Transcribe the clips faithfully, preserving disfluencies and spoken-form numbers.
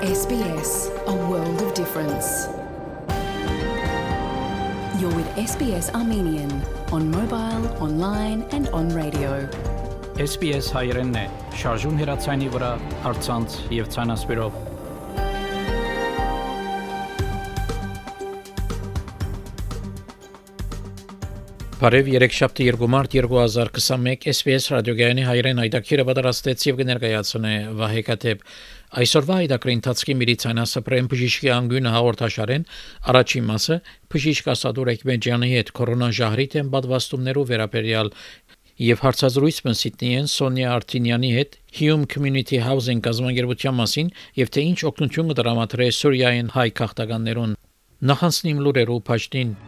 S B S, a world of difference. You're with S B S Armenian on mobile, online and on radio. S B S հայերենն է, շարժուն հեռացանի վրա, առցանց եւ ցանասպիրով։ Բարև երեքշաբթի երկու մարտ երկու հազար քսաներկու S B S ռադիոգայանի հայերեն այդակիրը պատրաստեց եւ կներկայացնե Վահե Կաթեփ։ Այսօրվա այդակրի ընթացքի միլիցիանասպրեմ բժիշկի անգույնը հաղորդաշարեն առաջին մասը բժիշկ Ասադուր Էկմեջյանի հետ կորոնաժահրի դեմ պատվաստումներով վերաբերյալ եւ հարցազրույց մնսիտնի են Սոնյա Արտինյանի հետ Hume Community Housing կազմակերպության մասին եւ թե ինչ օգնություն կդրամատրե Սուրիայեն հայ քաղաքականներուն։ Նախանցնիմ լուրերով փաշտին։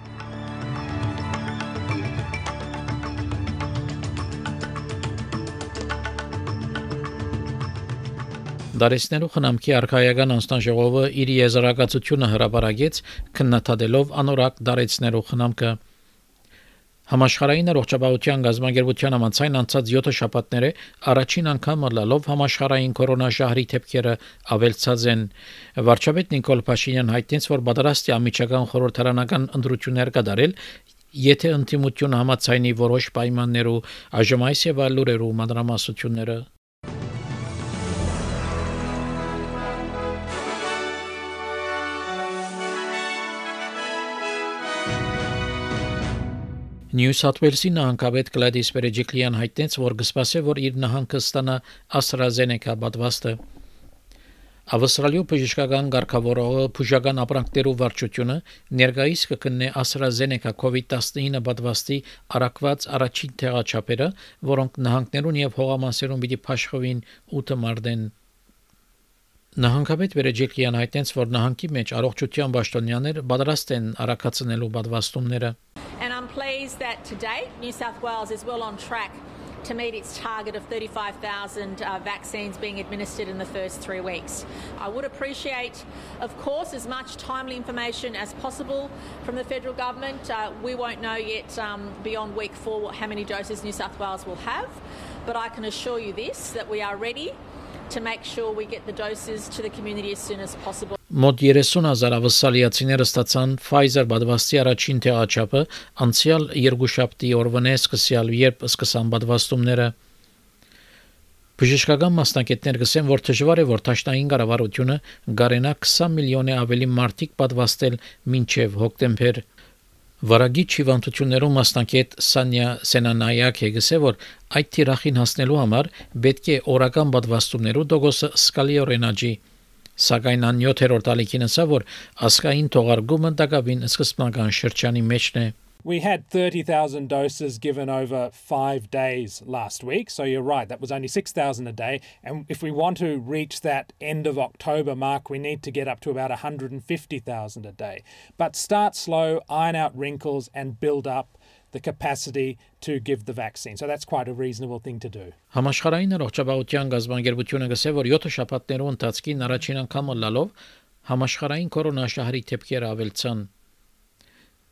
Դարեսներու խնամքի արխայական անստանժողովը իր եզրակացությունը հրապարակեց քննադատելով անորակ դարեցներու խնամքը Համաշխարհային առողջապահության գազագերբության համաձայն անցած յոթ շաբաթները առաջին անգամ լալով համաշխարհային կորոնաժահրի դեպքերը ավելցած են վարչապետ Նիկոլ Փաշինյան հայտնեց որ պատրաստ է ամիջական խորհրդարանական ընտրություններ կատարել եթե ընդդիմությունը համաձայնի որոշ պայմաններով այժմ այս եւ այլ լուրերու մանրամասնությունները Նյու Սաութ Ուելսի նահանգապետ Գլադիս Բերեջիկլյան հայտնեց, որ կսպասե, որ իր նահանգը ստանա AstraZeneca պատվաստը։ Ավստրալիա բժշկական ղեկավարողը բուժական ապրանքներու վարչությունը ներկայիս կգտնե AstraZeneca COVID nineteen պատվաստի արակված առաջին տեղաչափերը, որոնք նահանգներուն եւ հողամասերուն պիտի փաշխվին ութ մարտեն։ Նահանգապետ Բերեջիկլյան հայտնեց, որ նահանգի մեջ առողջության պաշտոնյաներ պատրաստ են արակացնելու պատվաստումները։ And I'm pleased that today New South Wales is well on track to meet its target of thirty-five thousand uh, vaccines being administered in the first three weeks. I would appreciate, of course, as much timely information as possible from the federal government. Uh, we won't know yet um, beyond week four how many doses New South Wales will have, but I can assure you this, that we are ready to make sure we get the doses to the community as soon as possible. Մոտ երեսուն հազար ավստրալիացիներ ստացան Pfizer պատվաստի առաջին տեղաչափը անցյալ երկուշաբթի օրվանե սկսյալ երբ սկսան պատվաստումները Բժշկական մասնակիցներ գսեն որ դժվար է որ տաշնային կառավարությունը գարենա քսան միլիոնի ավելի մարդիկ պատվաստել մինչև հոկտեմբեր Վարագիչ հիվանդություններում մասնակից Սանյա Սենանայակը գսե որ այդ թիրախին հասնելու համար պետք է օրական պատվաստումներու դոգոսը սկալիորեն աճի Սակայն անյոթերորդ ալիքին ասա որ ասկային թողարկումը դակավին սկզբնական շրջանի մեջն է We had thirty thousand doses given over five days last week. So you're right, that was only six thousand a day. And if we want to reach that end of October mark, we need to get up to about one hundred fifty thousand a day. But start slow, iron out wrinkles and build up the capacity to give the vaccine. So that's quite a reasonable thing to do. Համաշխարհային առողջապահության գազագերբությունը գսե որ յոթ շաբաթներու ընթացքին առաջին անգամ լալով համաշխարհային կորոնաշահրի դեպքերը ավելցան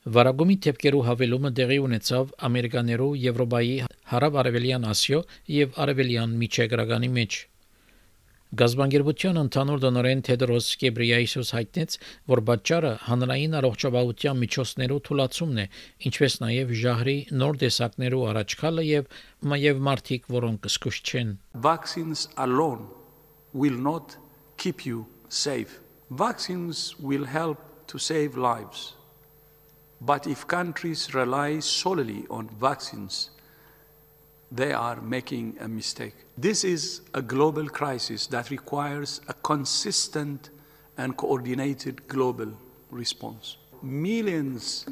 Վարագումի դեպքերու հավելումը դեղի ունեցավ ամերիկաներու Եվրոպայի հարավ-արևելյան Ասիո եւ արևելյան միջերկրականի մեջ Գազագերբության ընդհանուր դոնորեն Թեդրոս Գեբրիայեսուս հայտնեց, որ պատճառը հանրային առողջապահության միջոցներու թուլացումն է, ինչպես նաեւ ժահրի նոր տեսակներու առաջքալը եւ նաեւ մարդիկ, որոնք զսկուշ չեն Vaccines alone will not keep you safe. Vaccines will help to save lives. But if countries rely solely on vaccines, they are making a mistake. This is a global crisis that requires a consistent and coordinated global response. Millions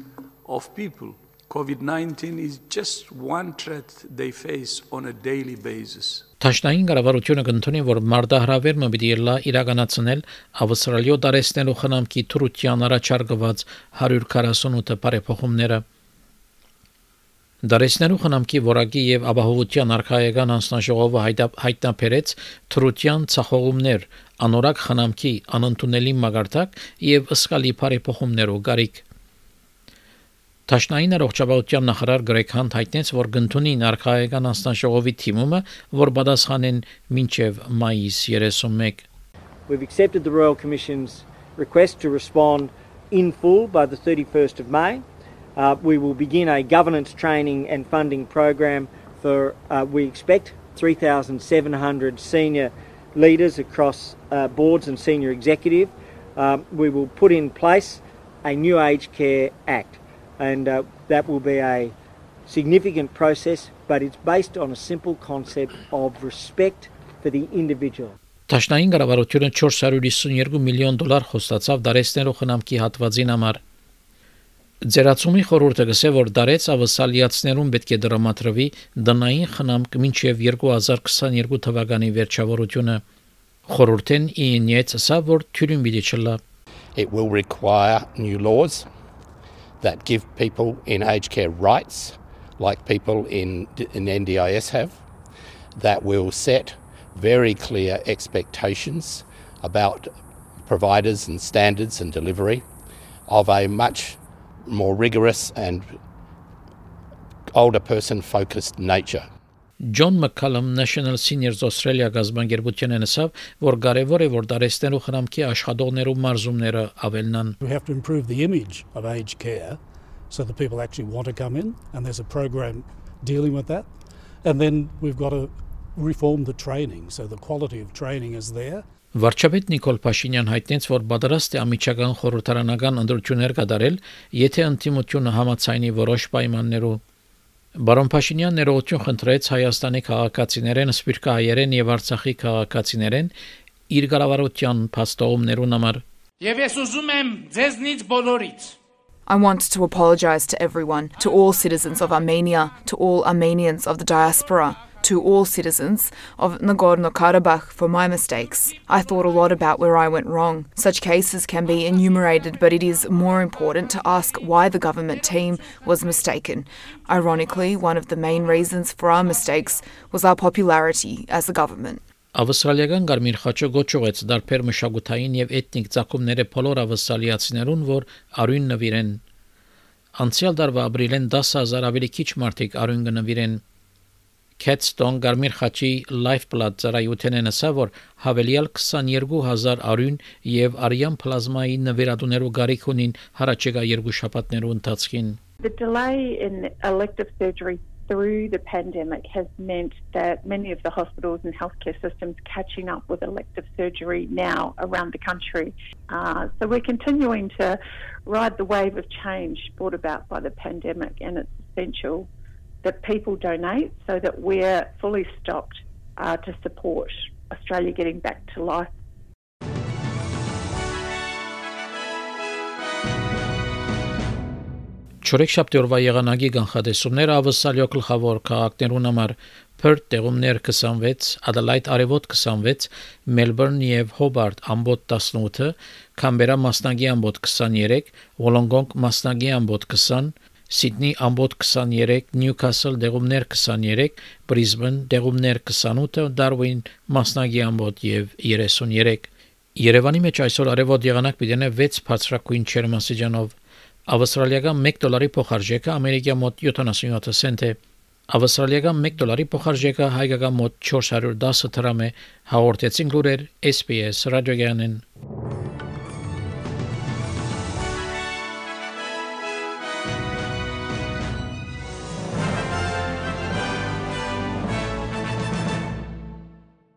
of people, COVID nineteen is just one threat they face on a daily basis. Տաշնային կառավարությունը կընդունի, որ մարտահրավերը պիտի լա իրականացնել Ավստրալիա դարեցնելու խնամքի թրության առաջարկված one hundred forty-eight բարեփոխումները։ Դարեցնելու խնամքի որակի եւ ապահովության արխայական անձնաժողովը հայտնաբերեց թրության ցախողումներ, անորակ խնամքի անընդունելի մագարտակ եւ ըսկալի բարեփոխումներով գարիկ։ Տաշնային առողջապահության նախարար Գրեգ Հանտ հայտնեց, որ կընդունի արխայական անձնաժողովի թիմումը, որ պատասխանեն մինչև մայիս thirty-one We've accepted the Royal Commission's request to respond in full by the thirty-first of May. Uh, we will begin a governance training and funding program for, uh, we expect, three thousand seven hundred senior leaders across uh, boards and senior executive. Uh, we will put in place a new Aged Care Act, and uh, that will be a significant process, but it's based on a simple concept of respect for the individual. Տաշնային կառավարությունը four hundred fifty-two միլիոն դոլար խոստացավ դարեցներու խնամքի հատվածին համար։ Ձերացումի խորհուրդը գսե որ դարեց ավսալիացներուն պետք է դրամատրվի դնային խնամք մինչև twenty twenty-two թվականի վերջավորությունը։ Խորհուրդեն ինյեց սա որ թյուրին պիտի չլա։ It will require new laws that give people in aged care rights like people in, in N D I S have, that will set very clear expectations about providers and standards and delivery of a much more rigorous and older person focused nature. John McCallum National Seniors Australia գազբանգերության նշավ, որ կարևոր է որ դարեցներու խնամքի աշխատողներու մարզումները ավելնան. We have to improve the image of aged care so that people actually want to come in, and there's a program dealing with that. And then we've got to reform the training so the quality of training is there. Վարչապետ Նիկոլ Փաշինյան հայտնեց, որ պատրաստ է ամիջական խորհրդարանական ընդրություններ կատարել, եթե ընդդիմությունը համաձայնի որոշ պայմաններով։ Բարոն Փաշինյան ներողություն խնդրեց Հայաստանի քաղաքացիներեն, սպիրկահայերեն եւ Արցախի քաղաքացիներեն իր կառավարության փաստողումներուն համար։ Եվ ես ուզում եմ ձեզնից բոլորից I want to apologize to everyone, to all citizens of Armenia, to all Armenians of the diaspora, to all citizens of Nagorno-Karabakh for my mistakes. I thought a lot about where I went wrong. Such cases can be enumerated, but it is more important to ask why the government team was mistaken. Ironically, one of the main reasons for our mistakes was our popularity as a government. Ավստրալիական Գարմիր խաչը գոչուեց դարբեր մշակութային եւ էթնիկ ցակումները բոլոր ավստրալիացիներուն, որ արույն նվիրեն։ Անցյալ դարվա ապրիլեն ten thousand ավելի քիչ մարդիկ արույն կնվիրեն։ Catstone Գարմիր խաչի Lifeblood ծառայությունն ասա, որ հավելյալ twenty-two thousand արույն եւ արյան պլազմայի նվիրատուներու գարիք ունին հարաճեկա երկու շաբաթներու ընթացքին. The delay in elective surgery through the pandemic has meant that many of the hospitals and healthcare systems catching up with elective surgery now around the country. Uh, so we're continuing to ride the wave of change brought about by the pandemic, and it's essential that people donate so that we're fully stocked uh, to support Australia getting back to life. Չորեքշաբթի օրվա եղանակի կանխատեսումները ավսալիո գլխավոր քաղաքներուն համար Perth տեղումներ twenty-six, Adelaide արևոտ twenty-six, Melbourne եւ Hobart ամբոտ eighteen, Canberra մասնագի ամբոտ twenty-three, Wollongong մասնագի ամբոտ twenty, Sydney ամբոտ twenty-three, Newcastle տեղումներ twenty-three, Brisbane տեղումներ twenty-eight, Darwin մասնագի ամբոտ եւ thirty-three. Երևանի մեջ այսօր արևոտ եղանակ պիտի six բարձրակույն չերմասիջանով Ավստրալիական one դոլարի փոխարժեքը ամերիկյան մոտ seventy-seven سنت է։ Ավստրալիական one դոլարի փոխարժեքը հայկական մոտ four hundred ten դրամ է։ Հաղորդեցին լուրեր S B S ռադիոգյանեն։